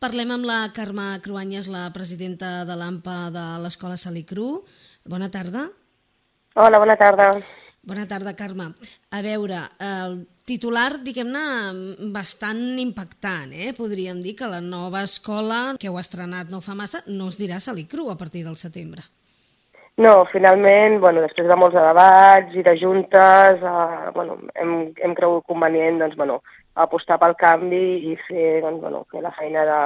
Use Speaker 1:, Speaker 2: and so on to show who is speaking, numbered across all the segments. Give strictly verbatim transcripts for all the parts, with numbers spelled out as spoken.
Speaker 1: Parlem amb la Carme Cruanyes, la presidenta de l'AMPA de l'Escola Salicru. Bona tarda.
Speaker 2: Hola, bona tarda.
Speaker 1: Bona tarda, Carme. A veure, el titular, diguem-ne, bastant impactant, eh? Podríem dir que la nova escola, que heu estrenat no fa massa, no es dirà Salicru a partir del setembre.
Speaker 2: No, finalment, bueno, després de molts debats i de juntes, eh, bueno, hem, hem cregut convenient doncs, bueno, apostar pel canvi i fer doncs, bueno, fer la feina de,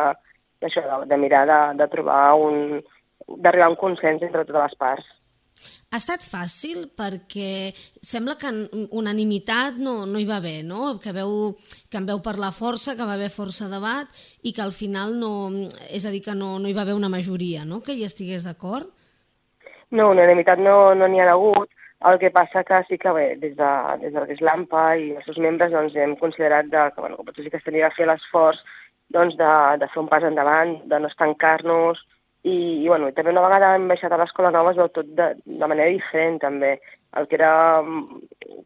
Speaker 2: això, de, de mirar de, de trobar un, d'arribar a un consens entre totes les parts.
Speaker 1: Ha estat fàcil perquè sembla que unanimitat no, no hi va haver, no? Que, veu, que en veu parlar força, que va haver força debat i que al final no, és a dir, que no, no hi va haver una majoria, no? Que hi estigués d'acord.
Speaker 2: No, unanimitat no n'hi no ha hagut, el que passa que sí que bé, des de, des de l'AMPA i els seus membres doncs, hem considerat de, que, bueno, que potser sí que s'hauria de fer l'esforç doncs, de, de fer un pas endavant, de no estancar-nos, i, i, bueno, i també una vegada hem baixat a l'escola nova es veu tot de, de manera diferent també. El que era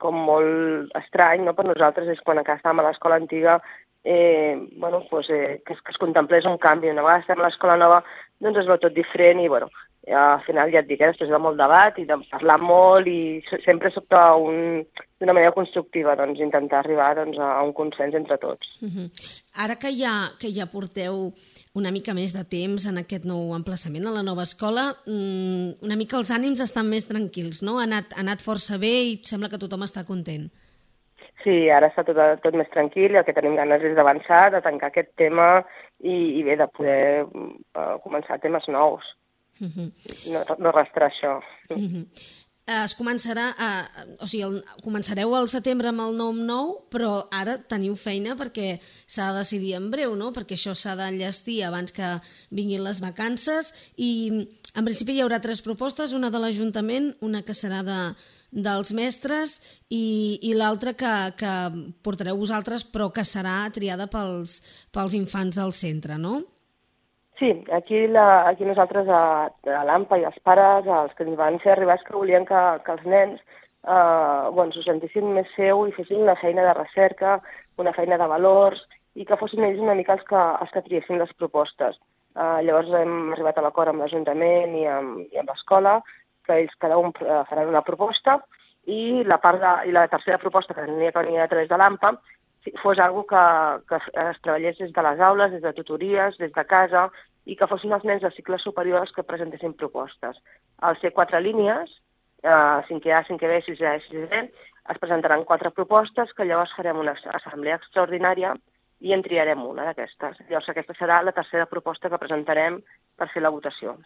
Speaker 2: com molt estrany, no, per nosaltres és quan encara estàvem a l'escola antiga eh, bueno, pues, eh, que, es, que es contemplés un canvi. Una vegada estem a l'escola nova doncs es veu tot diferent i bueno, al final ja et dic, eh, després de molt debat i de parlar molt i sempre soc d'una manera constructiva doncs, intentar arribar doncs, a un consens entre tots.
Speaker 1: Uh-huh. Ara que ja, que ja porteu una mica més de temps en aquest nou emplaçament a la nova escola, una mica els ànims estan més tranquils, no? Ha anat, ha anat força bé i sembla que tothom està content.
Speaker 2: Sí, ara està tot, tot més tranquil i el que tenim ganes és d'avançar, de tancar aquest tema i, i bé, de poder uh, començar temes nous. Uh-huh. No, no restar això.
Speaker 1: Uh-huh. Es començarà, a, o sigui, el, començareu al setembre amb el nom nou, però ara teniu feina perquè s'ha de decidir en breu, no? Perquè això s'ha d'enllestir abans que vinguin les vacances i en principi hi haurà tres propostes, una de l'Ajuntament, una que serà de, dels mestres i, i l'altra que, que portareu vosaltres però que serà triada pels, pels infants del centre, no?
Speaker 2: Sí, aquí, la, aquí nosaltres a, a l'AMPA i els pares, els que ens van fer arribar és que volien que, que els nens eh, bueno, s'ho sentissin més seu i fessin una feina de recerca, una feina de valors i que fossin ells una mica els que, els que triessin les propostes. Eh, llavors hem arribat a l'acord amb l'Ajuntament i amb, i amb l'escola, que ells cada un faran una proposta i la, part de, i la tercera proposta que tenia que venir a través de l'AMPA fos algo que, que es treballés des de les aules, des de tutories, des de casa, i que fossin els nens de cicles superiors que presentessin propostes. Al ser quatre línies, eh, cinquè A, cinquè B, sisè A i sisè B, es presentaran quatre propostes que llavors farem una assemblea extraordinària i en triarem una d'aquestes. Llavors aquesta serà la tercera proposta que presentarem per fer la votació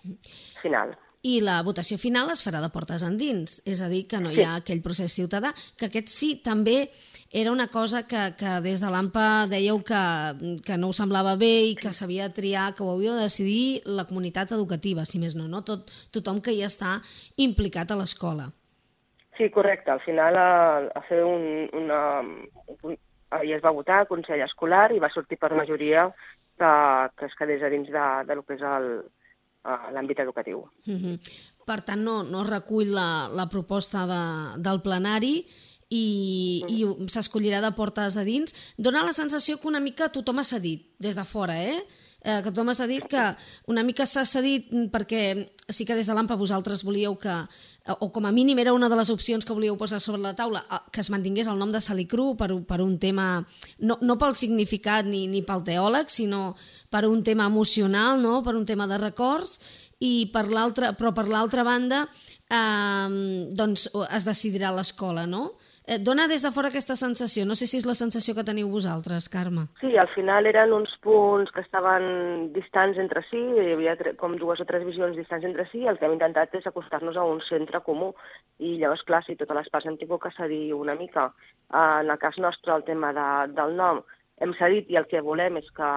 Speaker 2: final.
Speaker 1: I la votació final es farà de portes endins, és a dir, que no hi ha aquell procés ciutadà, que aquest sí també era una cosa que, que des de l'AMPA dèieu que, que no us semblava bé i que s'havia de triar, que ho havia de decidir la comunitat educativa, si més no, no? Tot, tothom que hi està implicat a l'escola.
Speaker 2: Sí, correcte. Al final a, a fer un, una... Un, ahir es va votar al Consell Escolar i va sortir per majoria que, que es quedés a dins de, de lo que és el, l'àmbit educatiu.
Speaker 1: Uh-huh. Per tant, no, no recull la, la proposta de, del plenari i, uh-huh. i s'escollirà de portes a dins. Dóna la sensació que una mica tothom ha cedit des de fora, eh? eh que tothom ha cedit, que una mica s'ha cedit perquè sí que des de l'AMPA vosaltres volíeu que, o com a mínim era una de les opcions que volíeu posar sobre la taula, que es mantingués el nom de Salicru per, per un tema, no, no pel significat ni, ni pel teòleg, sinó per un tema emocional, no? Per un tema de records, i per l'altra, però per l'altra banda eh, doncs es decidirà a l'escola, no? Et dona des de fora aquesta sensació, no sé si és la sensació que teniu vosaltres, Carme.
Speaker 2: Sí, al final eren uns punts que estaven distants entre si, hi havia com dues o tres visions distants entre si, i el que hem intentat és acostar-nos a un centre comú, i llavors, clar, si totes les parts hem tingut que cedir una mica. En el cas nostre, el tema de, del nom, hem cedit i el que volem és que,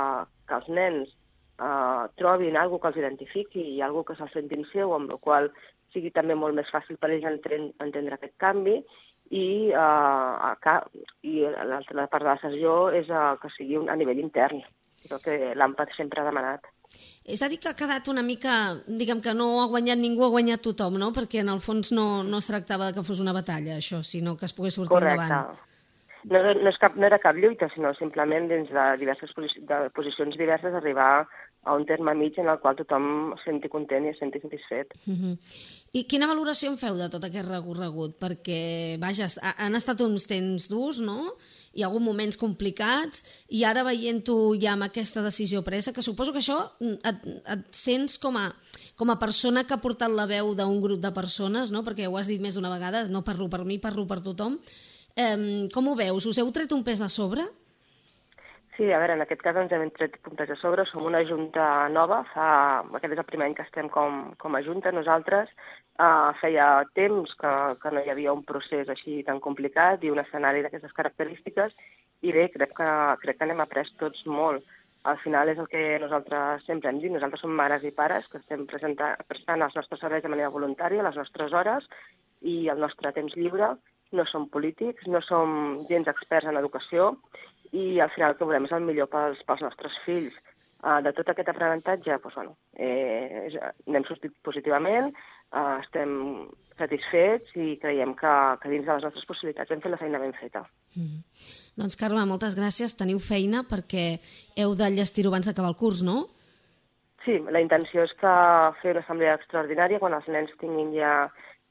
Speaker 2: que els nens eh, trobin alguna que els identifiqui i alguna que se'l sentin seu, amb la qual sigui també molt més fàcil per ells entendre, entendre aquest canvi, i, uh, i l'altra part de la sessió és uh, que sigui a nivell intern, el que l'AMPA sempre ha demanat.
Speaker 1: És a dir, que ha quedat una mica, diguem que no ha guanyat ningú, ha guanyat tothom, no? Perquè en el fons no, no es tractava que fos una batalla, això, sinó que es pogués sortir
Speaker 2: Correcte.
Speaker 1: endavant.
Speaker 2: no, no, és cap, no era cap lluita, sinó simplement dins de diverses posi de posicions diverses arribar a un terme mig en el qual tothom es senti content i es senti satisfet.
Speaker 1: Uh-huh. I quina valoració en feu de tot aquest recorregut? Perquè, vaja, han estat uns temps durs, no? Hi ha hagut moments complicats i ara veient-ho ja amb aquesta decisió presa, que suposo que això et, et sents com a, com a persona que ha portat la veu d'un grup de persones, no? Perquè ho has dit més d'una vegada, no parlo per mi, parlo per tothom. Eh, com ho veus? Us heu tret un pes de sobre?
Speaker 2: Sí, a veure, en aquest cas ens hem tret puntes a sobre, som una junta nova, fa, aquest és el primer any que estem com, com a junta, nosaltres uh, feia temps que, que no hi havia un procés així tan complicat i un escenari d'aquestes característiques, i bé, crec que, crec que n'hem après tots molt. Al final és el que nosaltres sempre hem dit, nosaltres som mares i pares que estem presentant, prestant els nostres serveis de manera voluntària, les nostres hores i el nostre temps lliure, no som polítics, no som gens experts en educació, i al final el que volem és el millor pels, pels nostres fills. Uh, de tot aquest aprenentatge, doncs, bueno, eh, n'hem sortit positivament, uh, estem satisfets i creiem que, que dins de les nostres possibilitats hem fet la feina ben feta.
Speaker 1: Mm. Doncs, Carme, moltes gràcies. Teniu feina perquè heu d'enllestir-ho abans d'acabar el curs, no?
Speaker 2: Sí, la intenció és que fer una assemblea extraordinària quan els nens tinguin ja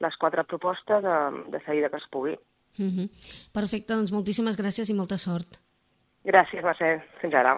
Speaker 2: les quatre propostes de, de seguida que es pugui.
Speaker 1: Mm-hmm. Perfecte, doncs moltíssimes gràcies i molta sort.
Speaker 2: Gràcies, Mercè. Fins ara.